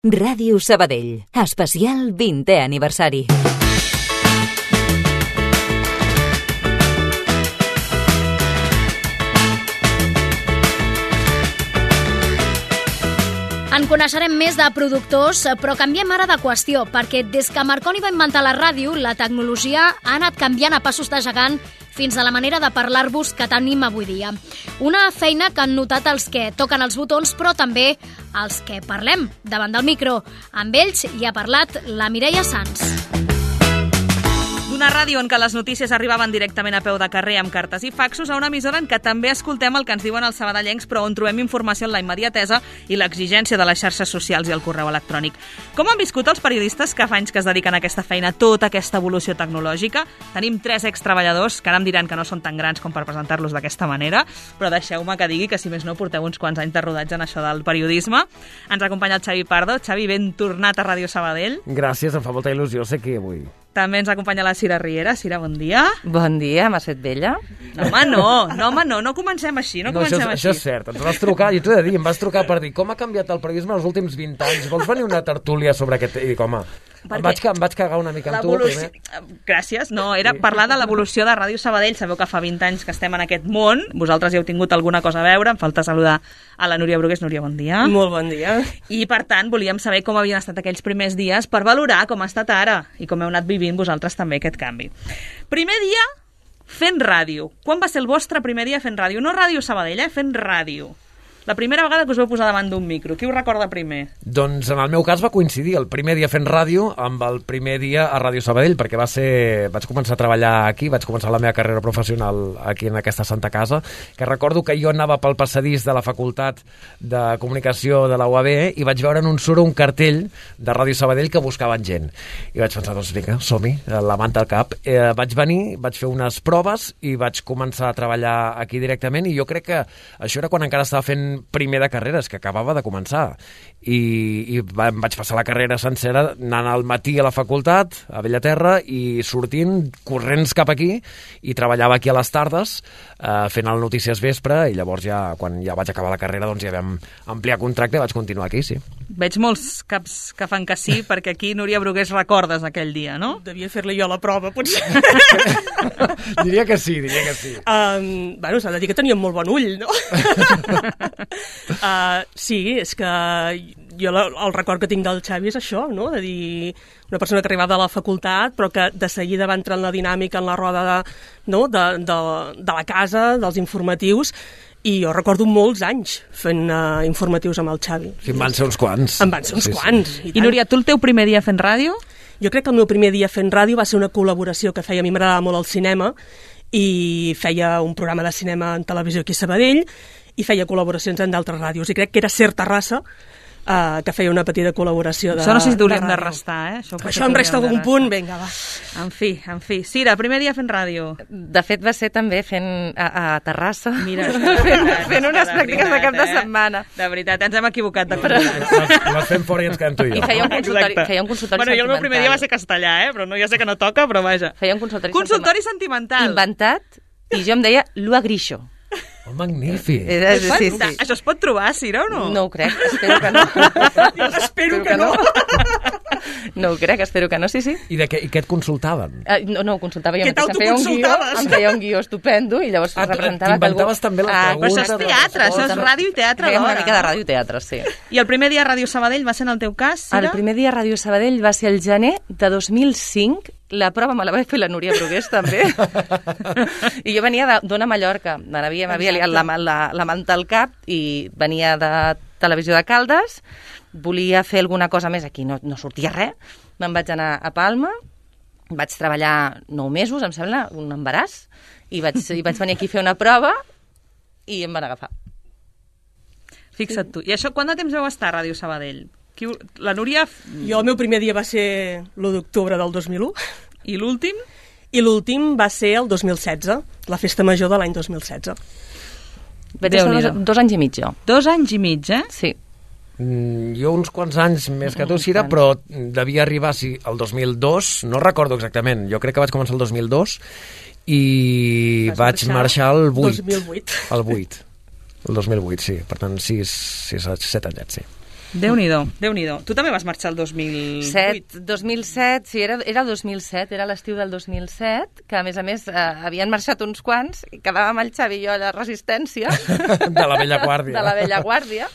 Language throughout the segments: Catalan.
Ràdio Sabadell, especial 20è aniversari. En coneixerem més de productors, però canviem ara de qüestió, perquè des que Marconi va inventar la ràdio, la tecnologia ha anat canviant a passos de gegant fins a la manera de parlar-vos que tenim avui dia. Una feina que han notat els que toquen els botons, però també els que parlem davant del micro. Amb ells hi ha parlat la Mireia Sans. D'una ràdio en què les notícies arribaven directament a peu de carrer amb cartes i faxos a una emissora en què també escoltem el que ens diuen els sabadellencs, però on trobem informació en la immediatesa i l'exigència de les xarxes socials i el correu electrònic. Com han viscut els periodistes que fa anys que es dediquen a aquesta feina, tota aquesta evolució tecnològica? Tenim 3 extreballadors, que ara em diran que no són tan grans com per presentar-los d'aquesta manera, però deixeu-me que digui que, si més no, porteu uns quants anys de rodatge en això del periodisme. Ens acompanya el Xavi Pardo. Xavi, ben tornat a Ràdio Sabadell. Gràcies, em fa molta il·lusió ser aquí avui. També ens acompanya la Cira Riera. Cira, bon dia. Bon dia, m'has fet vella? No comencem així, Això és cert, ens vas trucar, i t'ho he de dir, em vas trucar per dir com ha canviat el periodisme els últims 20 anys, vols venir una tertúlia sobre aquest... I dic, home, em vaig cagar una mica amb tu primer. Gràcies, no, era parlar de l'evolució de Ràdio Sabadell. Sabeu que fa 20 anys que estem en aquest món, vosaltres hi heu tingut alguna cosa a veure, em falta saludar a la Núria Brugués. Núria, bon dia. Molt bon dia. I per tant, volíem saber com havien estat aquells primers dies per valorar com ha estat ara i com heu anat vivint vosaltres també aquest canvi. Primer dia fent ràdio. Quan va ser el vostre primer dia fent ràdio? No Ràdio Sabadell, fent ràdio. La primera vegada que us vau posar davant d'un micro. Qui ho recorda primer? Doncs en el meu cas va coincidir el primer dia fent ràdio amb el primer dia a Ràdio Sabadell, perquè vaig començar a treballar aquí, vaig començar la meva carrera professional aquí en aquesta santa casa, que recordo que jo anava pel passadís de la Facultat de Comunicació de la UAB i vaig veure en un suro un cartell de Ràdio Sabadell que buscaven gent. I vaig pensar, doncs vinga, som-hi, la manta al cap. Vaig venir, vaig fer unes proves i vaig començar a treballar aquí directament, i jo crec que això era quan encara estava fent primer de carreres, que acabava de començar, i em vaig passar la carrera sencera anant al matí a la facultat a Bellaterra i sortint corrents cap aquí, i treballava aquí a les tardes fent el Notícies Vespre, i llavors quan ja vaig acabar la carrera doncs ja vam ampliar contracte i vaig continuar aquí, sí. Veig molts caps que fan que sí, perquè aquí, Núria Brugués, recordes aquell dia, no? Devia fer-li jo la prova, potser. Diria que sí. Bueno, s'ha de dir que teníem molt bon ull, no? Sí, és que jo el record que tinc del Xavi és això, no? De dir, una persona que arribava de la facultat però que de seguida va entrar en la dinàmica, en la roda de la casa, dels informatius, i jo recordo molts anys fent informatius amb el Xavi. Sí, em van ser uns quants. Em van ser uns quants. I Núria, tu el teu primer dia fent ràdio? Jo crec que el meu primer dia fent ràdio va ser una col·laboració que feia, a mi m'agradava molt el cinema, i feia un programa de cinema en televisió aquí a Sabadell, i feia col·laboracions en d'altres ràdios, i crec que era Ser Terrassa, que feia una petita col·laboració de ràdio. Això no sé si t'hauríem de restar, Això em resta algun punt, vinga, va. En fi. Cira, primer dia fent ràdio. De fet, va ser també fent a Terrassa. Mira, fent unes pràctiques de cap de setmana. De veritat, ens hem equivocat de Les fem fora i ens quedem tu i jo. I feia un consultori Bueno, jo el meu primer dia va ser castellà, però no, ja sé que no toca, però vaja. Feia un consultori sentimental. Inventat, i jo em deia Lua Grisho. Oh, magnífic. Sí. Això es pot trobar, Cira, o no? No ho crec, espero que no. Espero que no. No ho crec, espero que no, sí. I què et consultaven? No, ho consultava jo. Què t'autoconsultaves? Em feia un guió estupendo i llavors representava... T'inventaves també les preguntes? Però això és teatre, això és ràdio i teatre alhora. Feia una mica de ràdio i teatre, sí. I el primer dia a Ràdio Sabadell va ser en el teu cas, Cira? El primer dia a Ràdio Sabadell va ser el gener de 2005. La prova me la va fer la Núria Brugués, també. I jo venia d'Ona Mallorca. M'havia liat la manta al cap i venia de Televisió de Caldes. Volia fer alguna cosa més aquí, no sortia res. Me'n vaig anar a Palma, vaig treballar 9 mesos, em sembla, un embaràs, i vaig venir aquí a fer una prova i em van agafar. Fixa't tu. I això, quant de temps vau estar a Ràdio Sabadell? La Núria... Jo el meu primer dia va ser l'1 d'octubre del 2001. I l'últim? I l'últim va ser el 2016, la festa major de l'any 2016. Vaig estar 2 anys i mig, jo. 2 anys i mig, Sí. Jo uns quants anys més que tu, Cira, però devia arribar el 2002, no recordo exactament, jo crec que vaig començar el 2002 i vaig marxar el 8. 2008. El 8. El 2008, sí. Per tant, 7 anyets, sí. Déu-n'hi-do, Déu-n'hi-do. Tu també vas marxar el 2008? 2007, sí, era el 2007, era l'estiu del 2007, que a més havien marxat uns quants, i quedàvem el Xavi i jo a la Resistència. De la vella guàrdia. De la vella guàrdia.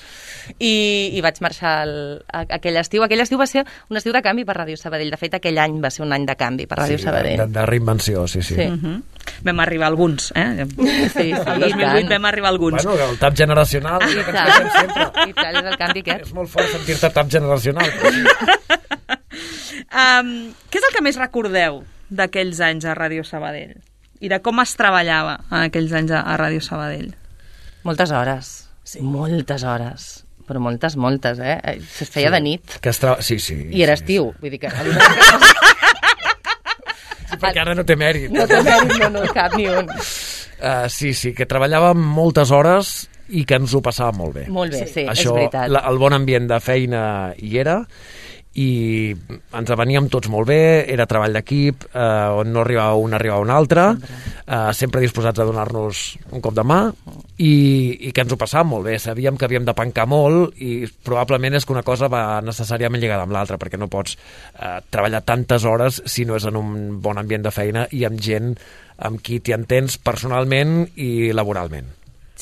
I vaig marxar aquell estiu. Aquell estiu va ser un estiu de canvi per Ràdio Sabadell. De fet, aquell any va ser un any de canvi per Ràdio Sabadell. De reinvenció, sí. Vam arribar alguns, Sí, el 2008 vam arribar alguns. Bueno, el tap generacional, I tant, és el canvi aquest. És molt fort sentir-te tap generacional. Què és el que més recordeu d'aquells anys a Ràdio Sabadell? I de com es treballava en aquells anys a Ràdio Sabadell? Moltes hores. Moltes hores. Però moltes, es feia de nit. Sí. I era estiu, vull dir que... Perquè ara no té mèrit. No té mèrit, no, cap ni un. Sí, que treballàvem moltes hores i que ens ho passàvem molt bé. Molt bé, sí, això, és veritat. El bon ambient de feina hi era, i ens aveníem tots molt bé, era treball d'equip, on no arribava un altre, sempre disposats a donar-nos un cop de mà, i que ens ho passàvem molt bé. Sabíem que havíem de pencar molt, i probablement és que una cosa va necessàriament lligada amb l'altra, perquè no pots treballar tantes hores si no és en un bon ambient de feina i amb gent amb qui t'hi entens personalment i laboralment.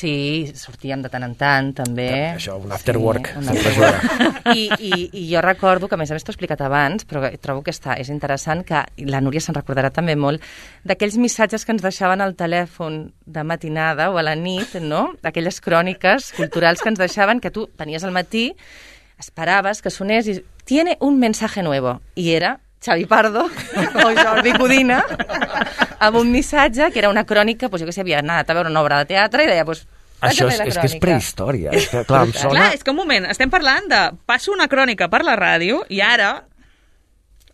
Sí, sortíem de tant en tant, també. Això, un after work. I jo recordo, que a més t'ho he explicat abans, però trobo que és interessant, que la Núria se'n recordarà també molt, d'aquells missatges que ens deixaven al telèfon de matinada o a la nit, no? Aquelles cròniques culturals que ens deixaven, que tu venies al matí, esperaves que sonés i tiene un mensaje nuevo. I era Xavi Pardo o Jordi Codina amb un missatge que era una crònica, jo que sé, havia anat a veure una obra de teatre i deia, això és que és prehistòria. Clar, em sona... Clar, és que un moment, estem parlant de passo una crònica per la ràdio i ara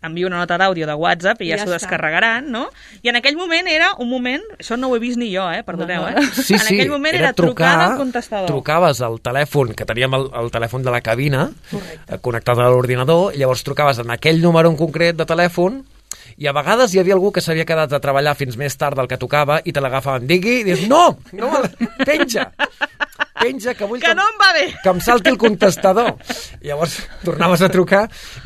envio una nota d'àudio de WhatsApp i ja s'ho descarregaran, no? I en aquell moment era un moment, això no ho he vist ni jo, perdoneu, Sí, en aquell moment era trucada al contestador. Trucaves al telèfon, que teníem el telèfon de la cabina, connectat a l'ordinador, i llavors trucaves en aquell número en concret de telèfon, i a vegades hi havia algú que s'havia quedat a treballar fins més tard del que tocava i te l'agafaven, digui, i dius, no, penja, que vull que no em va bé, que em salti el contestador. I llavors tornaves a trucar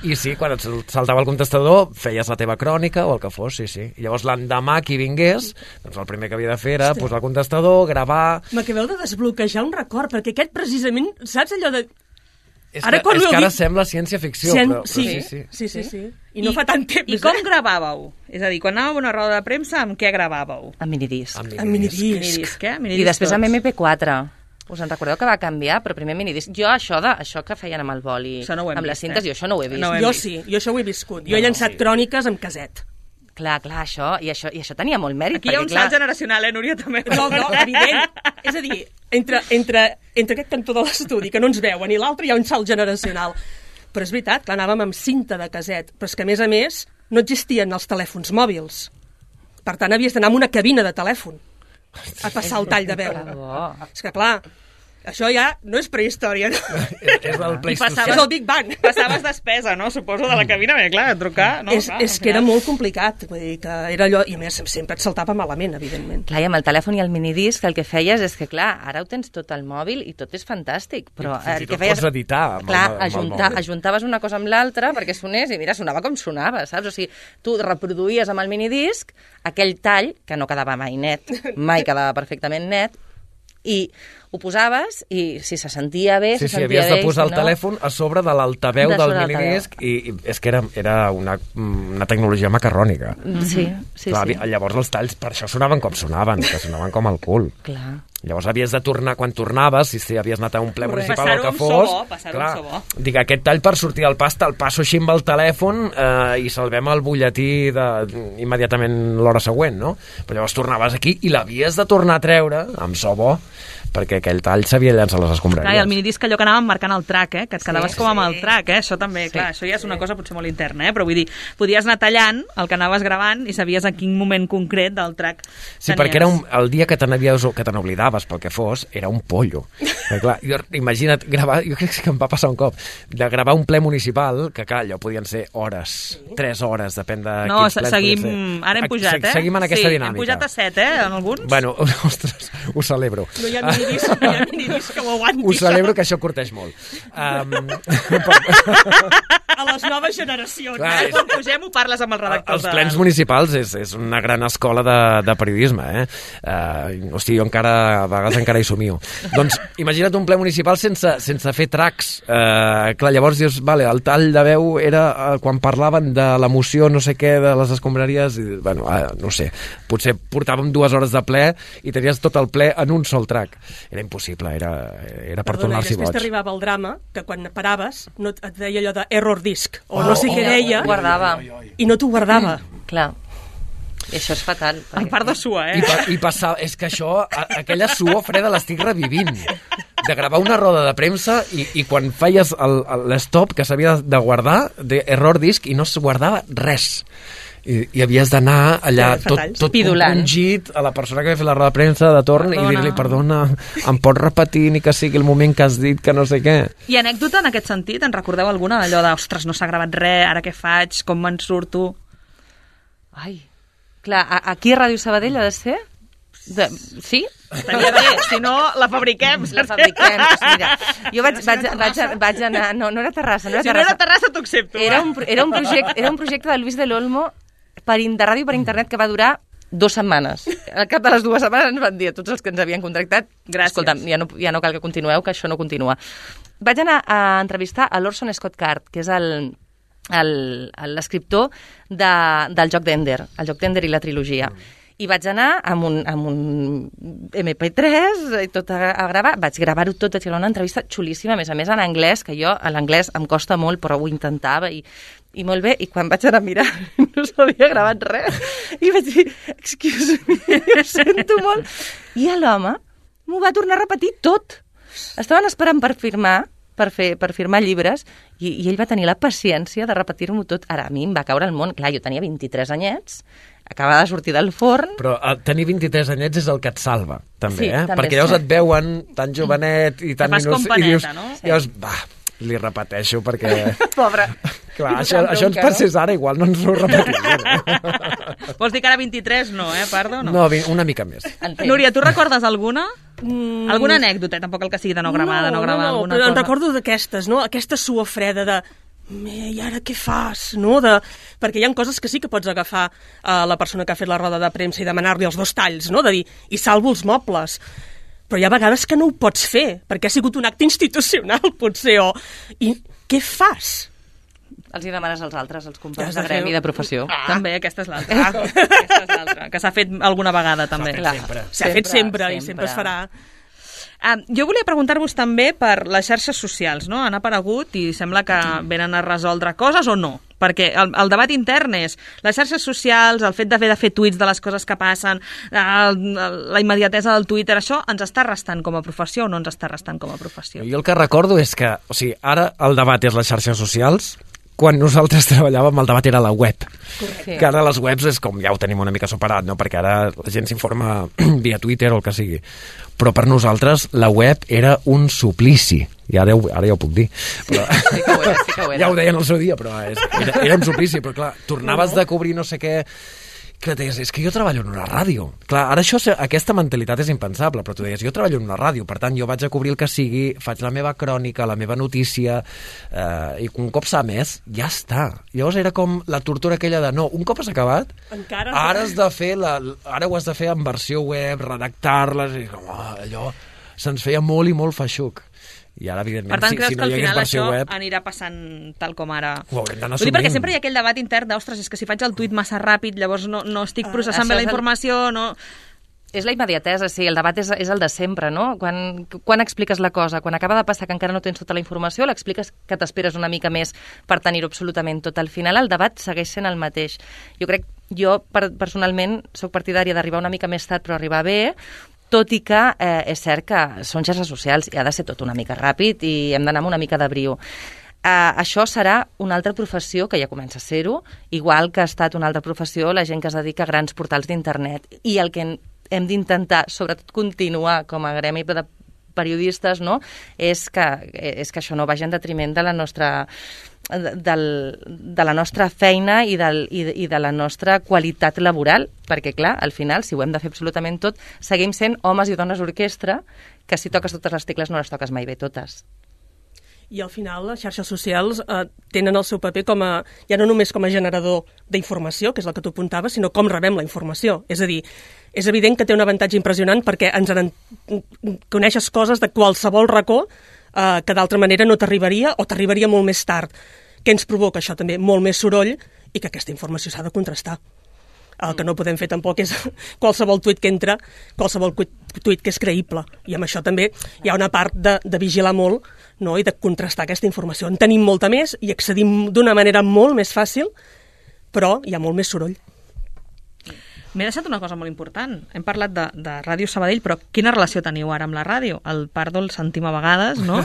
i sí, quan et saltava el contestador feies la teva crònica o el que fos, sí. I llavors l'endemà qui vingués, doncs el primer que havia de fer era posar el contestador, gravar... M'acabeu de desbloquejar un record, perquè aquest precisament, saps allò de... És que ara sembla ciència-ficció, però sí. I no fa tant temps. I com gravàveu? És a dir, quan anàveu a una roda de premsa, amb què gravàveu? Amb minidisc. Amb minidisc. I després amb MP4. Us en recordeu que va canviar, però primer minidisc. Jo això que feien amb el boli, amb les cintes, jo això no ho he vist. Jo sí, jo això ho he viscut. Jo he llançat cròniques amb caset. Clar, això tenia molt mèrit. Aquí hi ha un salt generacional, Núria, també. No, evident. És a dir, entre aquest cantó de l'estudi, que no ens veuen, i l'altre hi ha un salt generacional. Però és veritat, clar, anàvem amb cinta de caset, però és que, a més, no existien els telèfons mòbils. Per tant, havies d'anar amb una cabina de telèfon a passar el tall de veu. És que, clar, això ja no és prehistòria. És el Pleistocè. És el Big Bang. Passaves despesa, no? Suposo, de la cabina, perquè, clar, trucar... No, és que era molt complicat. Vull dir que era allò... I a més, sempre et saltava malament, evidentment. Clar, i amb el telèfon i el minidisc el que feies és que, clar, ara ho tens tot al mòbil i tot és fantàstic, però el que feies... Pots editar amb el mòbil. Ajuntaves una cosa amb l'altra perquè sonés i mira, sonava com sonava, saps? O sigui, tu reproduïes amb el minidisc aquell tall, que no quedava mai net, mai quedava perfectament net, i ho posaves i si se sentia bé, se sentia bé. Havies de posar el telèfon a sobre de l'altaveu del minidisc i és que era una tecnologia macarrònica. Sí. Llavors els talls per això sonaven com sonaven, que sonaven com el cul. Clar. Llavors havies de tornar, quan tornaves, si havies anat a un ple municipal o el que fos, dic, aquest tall per sortir del pasta, el passo així amb el telèfon i salvem el butlletí immediatament l'hora següent, no? Però llavors tornaves aquí i l'havies de tornar a treure amb so bo, perquè aquell tall s'havia llançat a les escombraries. Clar, i el minidisc allò que anàvem marcant el track, que et quedaves com amb el track, això també, clar, això ja és una cosa potser molt interna, però vull dir, podies anar tallant el que anaves gravant i sabies a quin moment concret del track tenies. Sí, perquè era el dia que te n'oblidaves pel que fos, era un pollo. Perquè, clar, imagina't gravar, jo crec que em va passar un cop, de gravar un ple municipal, que clar, allò podien ser hores, 3 hores, depèn de quins plens podien ser. Ara hem pujat, Seguim en aquesta dinàmica. Hem pujat a 7, en alguns. Bueno, ostres, ho celebro. No hi ha minidisc que ho aguanti. Us celebro que això curteix molt. A les noves generacions. Clar, Quan pugem ho parles amb els redactors. Els plens municipals és una gran escola de periodisme, Hosti, jo encara, a vegades encara hi somio. Doncs imagina't un ple municipal sense fer tracks. Clar, llavors dius, vale, el tall de veu era quan parlaven de l'emoció no sé què de les escombraries, i, bueno, no sé, potser portàvem 2 hores de ple i tenies tot el ple en un sol track. Era impossible, era per tornar-s'hi boig. Després t'arribava el drama, que quan paraves no et deia allò de error disc, o no sé què deia, guardava. I no t'ho guardava. Clar. I això és fatal. En part de suor, I passava, és que això, aquella suor freda l'estic revivint. De gravar una roda de premsa i quan feies l'stop que s'havia de guardar, d'error disc, i no es guardava res. I havies d'anar allà tot compungit a la persona que havia fet la roda de premsa de torn i dir-li, perdona, em pots repetir ni que sigui el moment que has dit que no sé què. I anècdota en aquest sentit? En recordeu alguna? Allò de, ostres, no s'ha gravat res, ara què faig, com me'n surto? Ai, clar, aquí a Ràdio Sabadell ha de ser? Sí? Estaria bé, si no, la fabriquem. La fabriquem. Mira, jo vaig anar... No era Terrassa. Si no era Terrassa, t'ho accepto. Era un projecte de Luis del Olmo de ràdio per internet que va durar 2 setmanes. Al cap de les 2 setmanes ens van dir a tots els que ens havien contractat, gràcies, escolta'm, ja no cal que continueu, que això no continua. Vaig anar a entrevistar a l'Orson Scott Card, que és l'escriptor del joc d'Ender, el joc d'Ender i la trilogia. I vaig anar amb un MP3 i tot a gravar. Vaig gravar-ho tot, vaig gravar una entrevista xulíssima, a més en anglès, que jo l'anglès em costa molt, però ho intentava i molt bé. I quan vaig anar a mirar no s'havia gravat res. I vaig dir, excuse me, ho sento molt. I l'home m'ho va tornar a repetir tot. Estaven esperant per firmar, per firmar llibres, i ell va tenir la paciència de repetir-m'ho tot. Ara, a mi em va caure el món. Clar, jo tenia 23 anyets, acabava de sortir del forn. Però tenir 23 anyets és el que et salva, també, sí, també perquè llavors et veuen tan jovenet i tan minús, i dius, no? Llavors, li repeteixo perquè... Pobre. Clar, això ens passés ara, igual no ens ho repetiríem. Vols dir que ara 23 no, Pardo? No, una mica més. Núria, tu recordes alguna? Alguna anècdota, tampoc el que sigui de no gravar, alguna cosa. Però en recordo d'aquestes, no? Aquesta suor freda de... I ara què fas? No? Perquè hi ha coses que sí que pots agafar a la persona que ha fet la roda de premsa i demanar-li els 2 talls, no? De dir, i salvo els mobles. Però hi ha vegades que no ho pots fer, perquè ha sigut un acte institucional, potser, I què fas? Els hi demanes als altres, als companys de gremi de professió. També, aquesta és l'altra. Que s'ha fet alguna vegada, també. S'ha fet sempre i sempre es farà. Jo volia preguntar-vos també per les xarxes socials, no? Han aparegut i sembla que venen a resoldre coses o no? Perquè el debat intern és les xarxes socials, el fet d'haver de fer tuits de les coses que passen, la immediatesa del Twitter, això ens està restant com a professió o no ens està restant com a professió? Jo el que recordo és que, ara el debat és les xarxes socials, quan nosaltres treballàvem el debat era la web. Correcte. Que ara les webs és com ja ho tenim una mica superat, no? Perquè ara la gent s'informa via Twitter o el que sigui. Però per nosaltres la web era un suplici. I ara ja ho puc dir. Però... Sí que ho era. Ja ho deien al seu dia, però era un suplici. Però clar, tornaves de cobrir no sé què... Que deies, és que jo treballo en una ràdio. Clar, ara aquesta mentalitat és impensable, però tu deies, jo treballo en una ràdio, per tant, jo vaig a cobrir el que sigui, faig la meva crònica, la meva notícia, i un cop s'ha emès, ja està. Llavors era com la tortura aquella de, no, un cop has acabat, ara has de fer ara ho has de fer en versió web, redactar-les, i com, allò se'ns feia molt i molt feixuc. I ara, evidentment, per tant, creus si no que al hi hagués final versió això web... anirà passant tal com ara? Ho haurem d'anar assumint. assumint. Perquè sempre hi ha aquell debat intern d'ostres, és que si faig el tuit massa ràpid, llavors no estic processant bé la informació, no... És la immediatesa, sí, el debat és el de sempre, no? Quan expliques la cosa, quan acaba de passar que encara no tens tota la informació, l'expliques que t'esperes una mica més per tenir-ho absolutament tot. Al final el debat segueix sent el mateix. Jo personalment soc partidària d'arribar una mica més tard però arribar bé, tot i que és cert que són xarxes socials i ha de ser tot una mica ràpid i hem d'anar amb una mica de brio. Això serà una altra professió, que ja comença a ser-ho, igual que ha estat una altra professió la gent que es dedica a grans portals d'internet. I el que hem d'intentar, sobretot, continuar com a gremi de periodistes, no? és que això no vagi en detriment de la nostra de la nostra feina i de la nostra qualitat laboral, perquè, clar, al final, si ho hem de fer absolutament tot, seguim sent homes i dones orquestra, que si toques totes les tecles no les toques mai bé totes. I al final les xarxes socials tenen el seu paper ja no només com a generador d'informació, que és el que tu apuntaves, sinó com rebem la informació. És a dir, és evident que té un avantatge impressionant perquè coneixes coses de qualsevol racó que d'altra manera no t'arribaria o t'arribaria molt més tard. Què ens provoca això també? Molt més soroll i que aquesta informació s'ha de contrastar. El que no podem fer tampoc és qualsevol tuit que entra, qualsevol tuit que és creïble. I amb això també hi ha una part de vigilar molt, no? I de contrastar aquesta informació. En tenim molta més i accedim d'una manera molt més fàcil, però hi ha molt més soroll. M'he deixat una cosa molt important. Hem parlat de Ràdio Sabadell, però quina relació teniu ara amb la ràdio? El Pardo el sentim a vegades, no?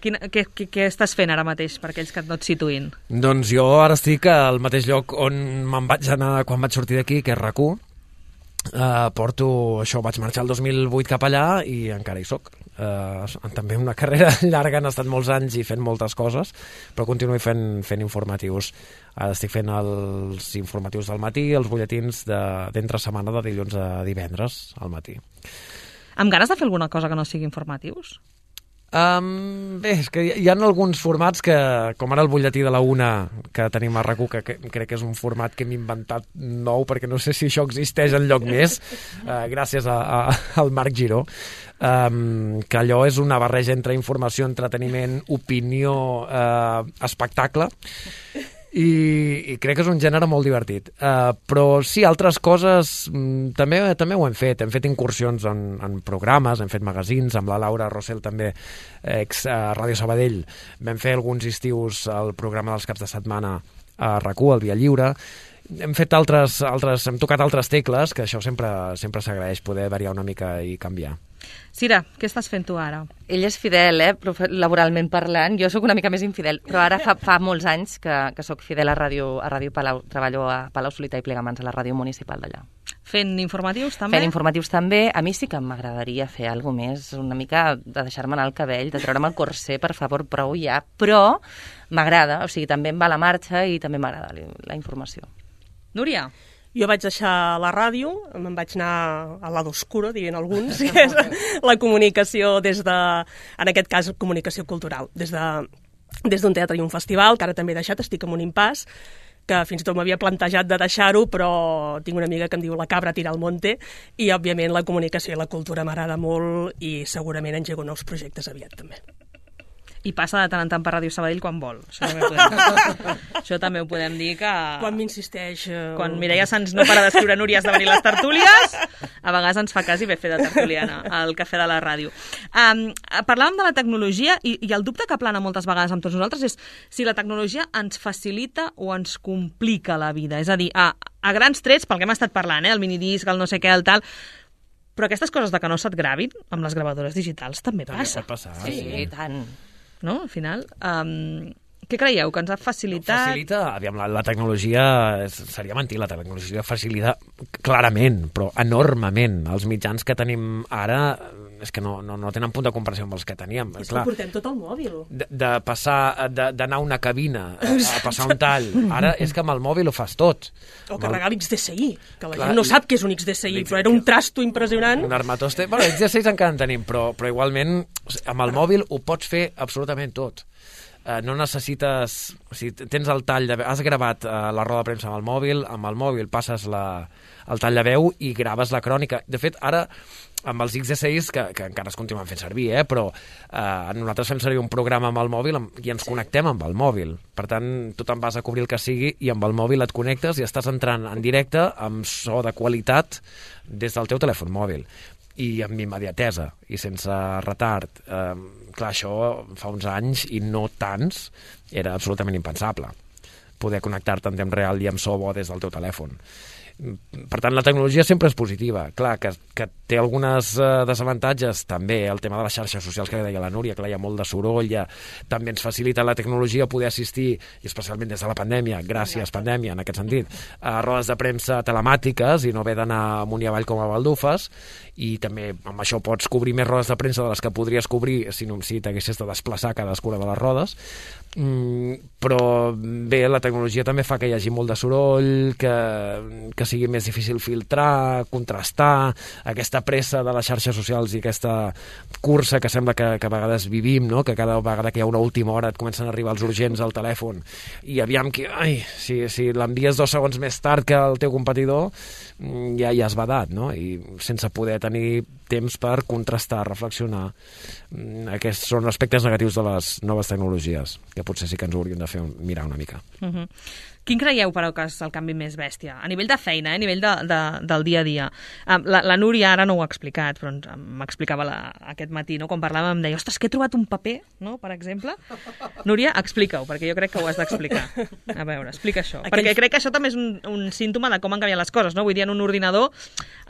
Què estàs fent ara mateix per aquells que no et situïn? Doncs jo ara estic al mateix lloc on me'n vaig anar quan vaig sortir d'aquí, que és RAC1. Vaig marxar el 2008 cap allà i encara hi soc. També una carrera llarga, han estat molts anys i fent moltes coses, però continuo fent informatius. Ara estic fent els informatius del matí, els butlletins d'entre setmana de dilluns a divendres al matí. Amb ganes de fer alguna cosa que no sigui informatius? Bé, és que hi ha alguns formats que, com ara el butlletí de la una que tenim a RAC1, que crec que és un format que hem inventat nou, perquè no sé si això existeix enlloc més, gràcies al Marc Giró, que allò és una barreja entre informació, entreteniment, opinió, espectacle, i crec que és un gènere molt divertit. Però sí, altres coses també ho hem fet incursions en programes, hem fet magazins, amb la Laura Rossell també, ex Ràdio Sabadell, vam fer alguns estius al programa dels caps de setmana a RAC1, al Via Lliure. Hem tocat altres tecles, que això sempre s'agraeix, poder variar una mica i canviar. Cira, què estàs fent tu ara? Ell és fidel, laboralment parlant. Jo sóc una mica més infidel, però ara fa molts anys que sóc fidel a Ràdio Palau. Treballo a Palau Solità i Plegamans, a la ràdio municipal d'allà. Fent informatius també? Fent informatius també. A mi sí que m'agradaria fer alguna més, una mica de deixar-me anar el cabell, de treure'm el corser, per favor, prou ja. Però m'agrada, o sigui, també em va la marxa i també m'agrada la informació. Núria? Jo vaig deixar la ràdio, me'n vaig anar al lado oscuro, dirien alguns, que és la comunicació en aquest cas, comunicació cultural, des d'un teatre i un festival, que ara també he deixat, estic en un impàs, que fins i tot m'havia plantejat de deixar-ho, però tinc una amiga que em diu la cabra tira al monte, i òbviament la comunicació i la cultura m'agrada molt i segurament engego nous projectes aviat també. I passa de tant en tant per Ràdio Sabadell quan vol. Això també ho podem dir que... Quan m'insisteix... Quan Mireia Sans no para d'escriure Núria has de venir a les tertúlies, a vegades ens fa quasi bé fer de tertuliana al cafè de la ràdio. Parlàvem de la tecnologia i el dubte que plana moltes vegades amb tots nosaltres és si la tecnologia ens facilita o ens complica la vida. És a dir, a grans trets, pel que hem estat parlant, el minidisc, el no sé què, el tal... Però aquestes coses de que no se't gravin amb les gravadores digitals també passa. Pot passar. Sí, tant. No? Al final, què creieu? Que ens ha facilitat? Facilita, aviam, la tecnologia, seria mentir, la tecnologia facilita clarament, però enormement. Els mitjans que tenim ara és que no tenen punt de comparació amb els que teníem. És que ho portem tot al mòbil. De passar, d'anar a una cabina, a passar un tall, ara és que amb el mòbil ho fas tot. O carregar l'XDSI, que la gent no sap què és un XDSI, però era un trasto impressionant. Un armatoste. Bueno, XDSIs encara en tenim, però igualment amb el mòbil ho pots fer absolutament tot. No necessites... O sigui, tens el tall de veu, has gravat la roda de premsa amb el mòbil passes el tall de veu i graves la crònica. De fet, ara, amb els XDSIs, que encara es continuen fent servir, però nosaltres fem servir un programa amb el mòbil i ens connectem amb el mòbil. Per tant, tu te'n vas a cobrir el que sigui i amb el mòbil et connectes i estàs entrant en directe amb so de qualitat des del teu telèfon mòbil. I amb immediatesa i sense retard. Clar, això fa uns anys i no tants era absolutament impensable poder connectar-te en temps real i amb so bo des del teu telèfon. Per tant, la tecnologia sempre és positiva. Clar, que té algunes desavantatges, també el tema de les xarxes socials que deia la Núria, que hi ha molt de soroll, també ens facilita la tecnologia poder assistir, i especialment des de la pandèmia, gràcies pandèmia en aquest sentit, a rodes de premsa telemàtiques i no haver d'anar amunt i avall com a baldufes, i també amb això pots cobrir més rodes de premsa de les que podries cobrir si t'haguessis de desplaçar cadascuna de les rodes. Però bé, la tecnologia també fa que hi hagi molt de soroll, que sigui més difícil filtrar, contrastar, aquesta pressa de les xarxes socials i aquesta cursa que sembla que a vegades vivim, no? Que cada vegada que hi ha una última hora et comencen a arribar els urgents al telèfon i aviam que, si l'envies 2 segons més tard que el teu competidor, ja has badat, no? I sense poder tenir temps per contrastar, reflexionar. Aquests són aspectes negatius de les noves tecnologies, que potser sí que ens ho hauríem de fer mirar una mica. Quin creieu, però, que és el canvi més bèstia? A nivell de feina, a nivell del dia a dia. La Núria ara no ho ha explicat, però m'explicava aquest matí, no? Quan parlàvem, em deia, ostres, que he trobat un paper, no?, per exemple. Núria, explica-ho, perquè jo crec que ho has d'explicar. A veure, explica això. Perquè crec que això també és un símptoma de com han canviat les coses, no? Vull dir, en un ordinador,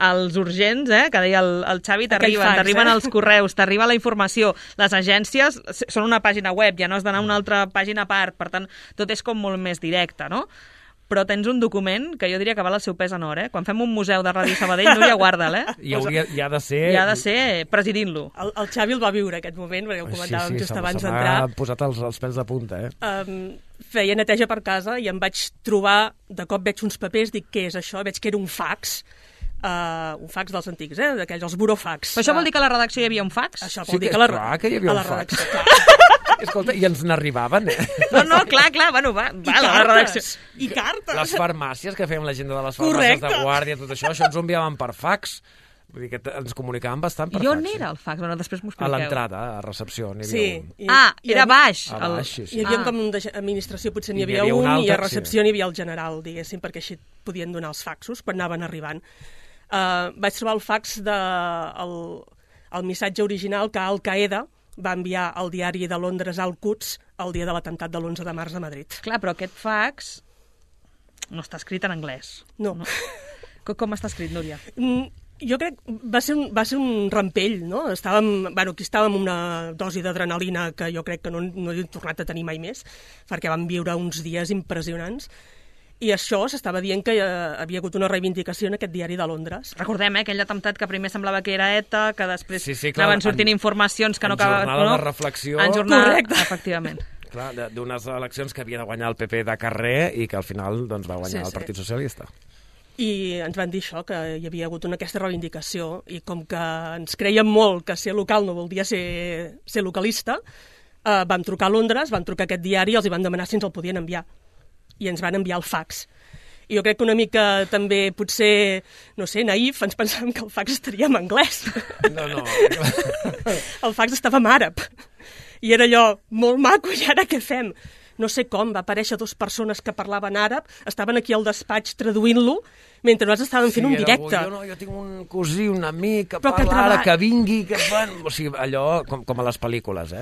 els urgents, que deia el Xavi, t'arriben els correus, t'arriba la informació. Les agències són una pàgina web, ja no has d'anar a una altra pàgina a part, per tant, tot és com molt més directe, no? Però tens un document que jo diria que val el seu pes en or, eh? Quan fem un museu de Ràdio Sabadell, Núria, guarda'l, eh? I ha de ser... I ha de ser presidint-lo. El Xavi el va viure, aquest moment, perquè ho comentàvem just abans d'entrar. Sí, s'ha posat els pèls de punta, Feia neteja per casa i em vaig trobar, de cop veig uns papers, dic, què és això? Veig que era un fax dels antics, d'aquells, els burofax. Però això vol dir que a la redacció hi havia un fax? Això vol dir que hi havia un fax. Escolta, i ens n'arribaven, No, clar, bueno, va, la redacció. I cartes. Les farmàcies, que fèiem l'agenda de les farmàcies de guàrdia, tot això ens ho enviaven per fax. Vull dir que ens comunicàvem bastant per fax. I on era el fax? Bueno, després m'ho expliqueu. A l'entrada, a recepció, n'hi havia un. Era baix. A baix, sí. Hi havia com d'administració, potser n'hi havia un, i a recepció n'hi havia el general, diguéssim, perquè així podien donar els faxos quan anaven arribant. Vaig trobar el fax el missatge original que Al-Qaeda va enviar al diari de Londres Al-Quds el dia de l'atemptat de l'11 de març a Madrid. Clar, però aquest fax no està escrit en anglès. No. Com està escrit, Núria? Jo crec que va ser un rampell, no? Aquí estàvem amb una dosi d'adrenalina que jo crec que no he tornat a tenir mai més, perquè vam viure uns dies impressionants. I això s'estava dient que havia hagut una reivindicació en aquest diari de Londres. Recordem, aquell atemptat que primer semblava que era ETA, que després anaven sortint informacions que no acabaven... En jornada de reflexió... En jornada, efectivament. Clar, d'unes eleccions que havia de guanyar el PP de carrer i que al final va guanyar el Partit Socialista. I ens van dir això, que hi havia hagut aquesta reivindicació, i com que ens creiem molt que ser local no vol dir ser localista, vam trucar a Londres, vam trucar a aquest diari i els van demanar si ens el podien enviar. I ens van enviar el fax. I jo crec que una mica també, potser, no sé, naïf, ens pensàvem que el fax estaria en anglès. No. El fax estava en àrab. I era allò, molt maco, i ara què fem? No sé com, va aparèixer 2 persones que parlaven àrab, estaven aquí al despatx traduint-lo, mentre nosaltres estàvem fent un directe. Jo tinc un cosí, un amic, que parla ara, que vingui, que fan... O sigui, allò com a les pel·lícules,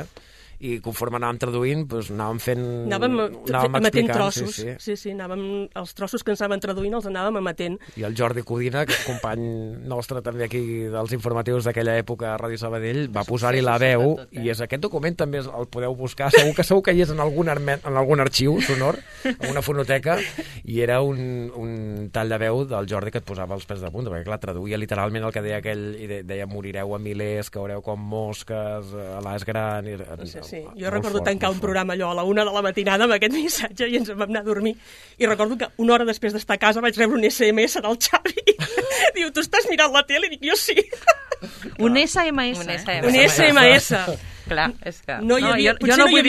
i conforme anàvem traduint, anàvem fent... Anàvem emetent trossos. Sí, els trossos que ens anaven traduint els anàvem emetent. I el Jordi Codina, que és company nostre també aquí dels informatius d'aquella època a Ràdio Sabadell, va posar-hi la veu, i aquest document també el podeu buscar, segur que hi és en algun arxiu sonor, en una fonoteca, i era un tall de veu del Jordi que et posava els pèls de punta, perquè clar, traduïa literalment el que deia aquell, i deia morireu a milers, caureu com mosques, a l'As Gran... Sí. Jo recordo tancar un programa allò a la 1 de la matinada amb aquest missatge i ens vam anar a dormir. I recordo que una hora després d'estar a casa vaig rebre un SMS del Xavi. Diu, tu estàs mirant la tele? I dic, jo sí. Un SMS. Un SMS. Clar, és que... Jo no vull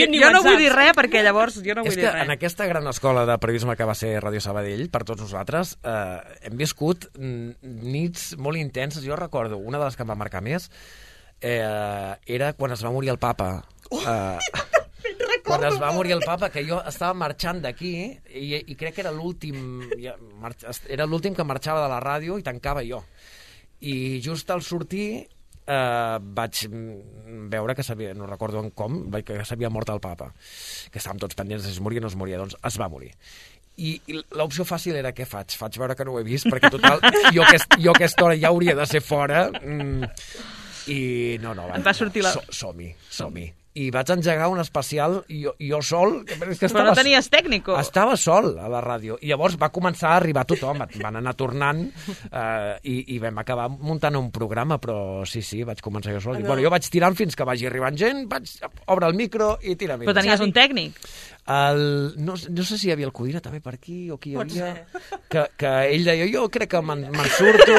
dir res, perquè llavors jo no vull dir res. És que en aquesta gran escola de periodisme que va ser Ràdio Sabadell, per tots nosaltres, hem viscut nits molt intenses. Jo recordo, una de les que em va marcar més era quan es va morir el papa. Quan es va morir el papa, que jo estava marxant d'aquí i crec que era l'últim que marxava de la ràdio i tancava jo. I just al sortir vaig veure que no recordo que s'havia mort el papa, que estàvem tots pendents de si es moria o no es moria. Doncs es va morir. I l'opció fàcil era què faig? Faig veure que no ho he vist, perquè total, jo a aquesta hora ja hauria de ser fora. I no, va sortir som-hi. i vaig engegar un especial jo sol. Però no tenies tècnico. Estava sol a la ràdio. I llavors va començar a arribar tothom, van anar tornant i vam acabar muntant un programa, però sí, vaig començar jo sol. Bueno, jo vaig tirant fins que vagi arribant gent, obre el micro i tira. Però tenies un tècnic? No sé si hi havia el Codina també per aquí o qui hi havia, que ell deia, jo crec que me'n surto.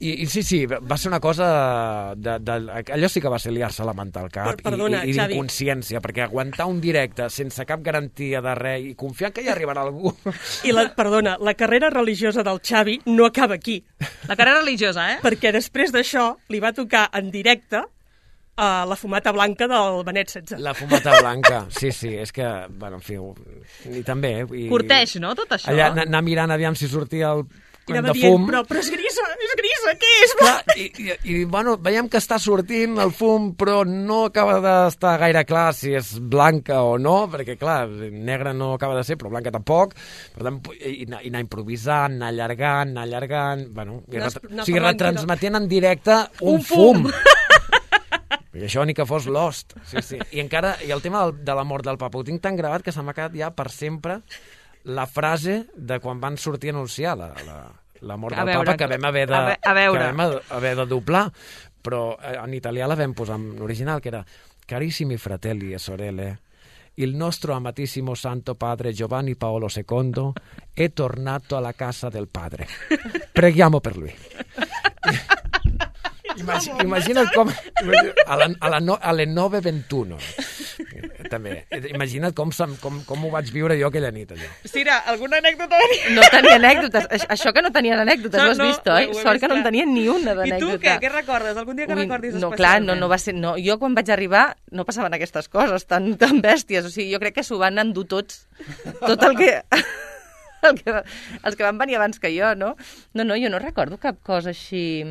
I sí, va ser una cosa... allò sí que va ser liar-se la manta al cap i d'inconsciència, perquè aguantar un directe sense cap garantia de res i confiar que hi arribarà algú... I la carrera religiosa del Xavi no acaba aquí. La carrera religiosa, Perquè després d'això li va tocar en directe la fumata blanca del Benet XVI. La fumata blanca, sí, és que, bueno, en fi, i també... Corteix, no, tot això? Allà anar mirant aviam si sortia el I anava dient, però és grisa, què és? Clar, i bueno, veiem que està sortint el fum, però no acaba d'estar gaire clar si és blanca o no, perquè, clar, negra no acaba de ser, però blanca tampoc. Per tant, i anar improvisant, anar allargant, bueno, o sigui, retransmetent en directe un fum. I això ni que fos Lost. Sí. I el tema de la mort del papa ho tinc tan gravat que se m'ha quedat ja per sempre la frase de quan van sortir a anunciar la mort del papa, que vam haver de doblar, però en italià la vam posar en original, que era Carissimi fratelli e sorelle, il nostro amatissimo santo padre Giovanni Paolo II è tornato alla casa del padre. Preghiamo per lui. Imagina't com a les 9:21 també, imagina't com ho vaig viure jo aquella nit, allò. Sira, alguna anècdota? No tenia anècdotes, això que no tenien anècdotes, no has vist, oi? Sort que no en tenien ni una d'anècdota. I tu què recordes? Algun dia que recordis especialment? No, clar, no va ser... No. Jo quan vaig arribar no passaven aquestes coses tan bèsties, o sigui, jo crec que s'ho van endur tots, tot el que... els que van venir abans que jo, no? No, jo no recordo cap cosa així...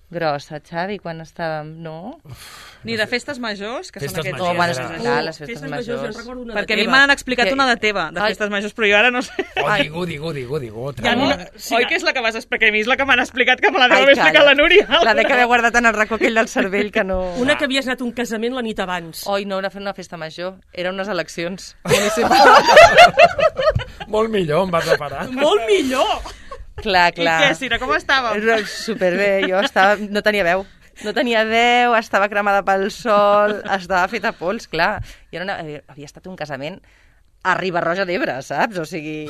grossa, Xavi, quan estàvem... No? Ni de festes majors, que són aquests... No, bueno, les festes majors. Perquè a mi m'han explicat una de teva, de festes majors, però jo ara no sé. Digo. Oi que és la que vas explicar? A mi és la que m'han explicat, que me la deu haver explicat la Núria. La de que havia guardat en el racó aquell del cervell, que no... Una que havies anat a un casament la nit abans. Oi, no, era fer una festa major. Eren unes eleccions municipals. Molt millor, em vas a parar. Molt millor! Clar. I què, Sira, com estàvem? Superbé, jo no tenia veu. No tenia veu, estava cremada pel sol, estava feta pols, clar. Jo havia estat un casament a Riba-roja d'Ebre, saps? O sigui,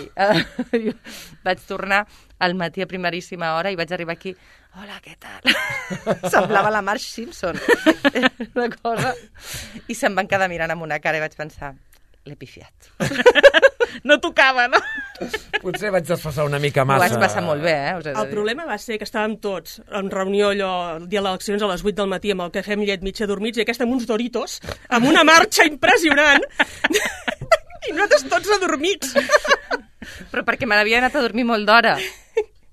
vaig tornar al matí a primeríssima hora i vaig arribar aquí. Hola, què tal? Semblava la Marge Simpson. Una cosa... I se'm van quedar mirant amb una cara i vaig pensar, l'he pifiat. No tocava, no? Potser vaig desfassar una mica massa. Ho vaig passar molt bé, El problema va ser que estàvem tots en reunió allò, el dia de les eleccions a les 8 del matí amb el cafè amb llet mig adormits i aquesta amb uns Doritos, amb una marxa impressionant i nosaltres tots adormits. Però perquè me n'havia anat a dormir molt d'hora.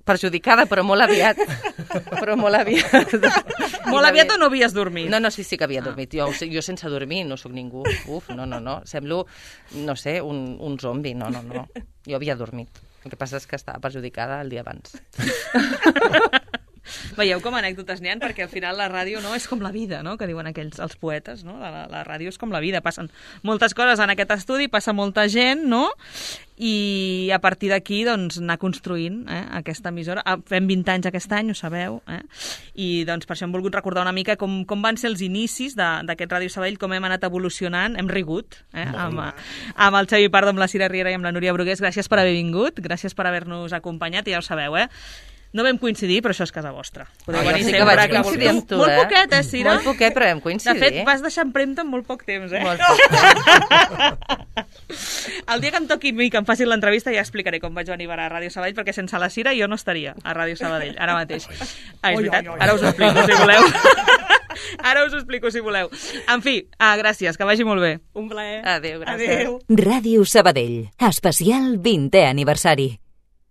Perjudicada, però molt aviat. Molt aviat o no havies dormit? No, sí que havia dormit. Jo sense dormir no sóc ningú. No. Semblo, no sé, un zombi. No. Jo havia dormit. El que passa és que estava perjudicada el dia abans. Veieu com anècdotes n'hi ha, perquè al final la ràdio no és com la vida, no? Que diuen els poetes, no? La ràdio és com la vida, passen moltes coses en aquest estudi, passa molta gent, no? I a partir d'aquí, doncs, anar construint aquesta emissora. Fem 20 anys aquest any, ho sabeu, i doncs per això hem volgut recordar una mica com van ser els inicis d'aquest Ràdio Sabadell, com hem anat evolucionant, hem rigut amb el Xavi Pardo, amb la Sira Riera i amb la Núria Brugués. Gràcies per haver vingut, gràcies per haver-nos acompanyat, i ja ho sabeu, No vam coincidir, però això és casa vostra. Podeu venir sempre. Vaig coincidir amb tu, Molt poquet, Sira? Molt poquet, però vam coincidir. De fet, vas deixar empremta en molt poc temps, Molt poc temps. El dia que em toqui a mi, que em facin l'entrevista, ja explicaré com vaig venir a Ràdio Sabadell, perquè sense la Sira jo no estaria a Ràdio Sabadell, ara mateix. És veritat? Ara us ho explico, si voleu. Ara us ho explico, si voleu. En fi, gràcies, que vagi molt bé. Un plaer. Adéu, gràcies. Ràdio Sabadell, especial 20è aniversari.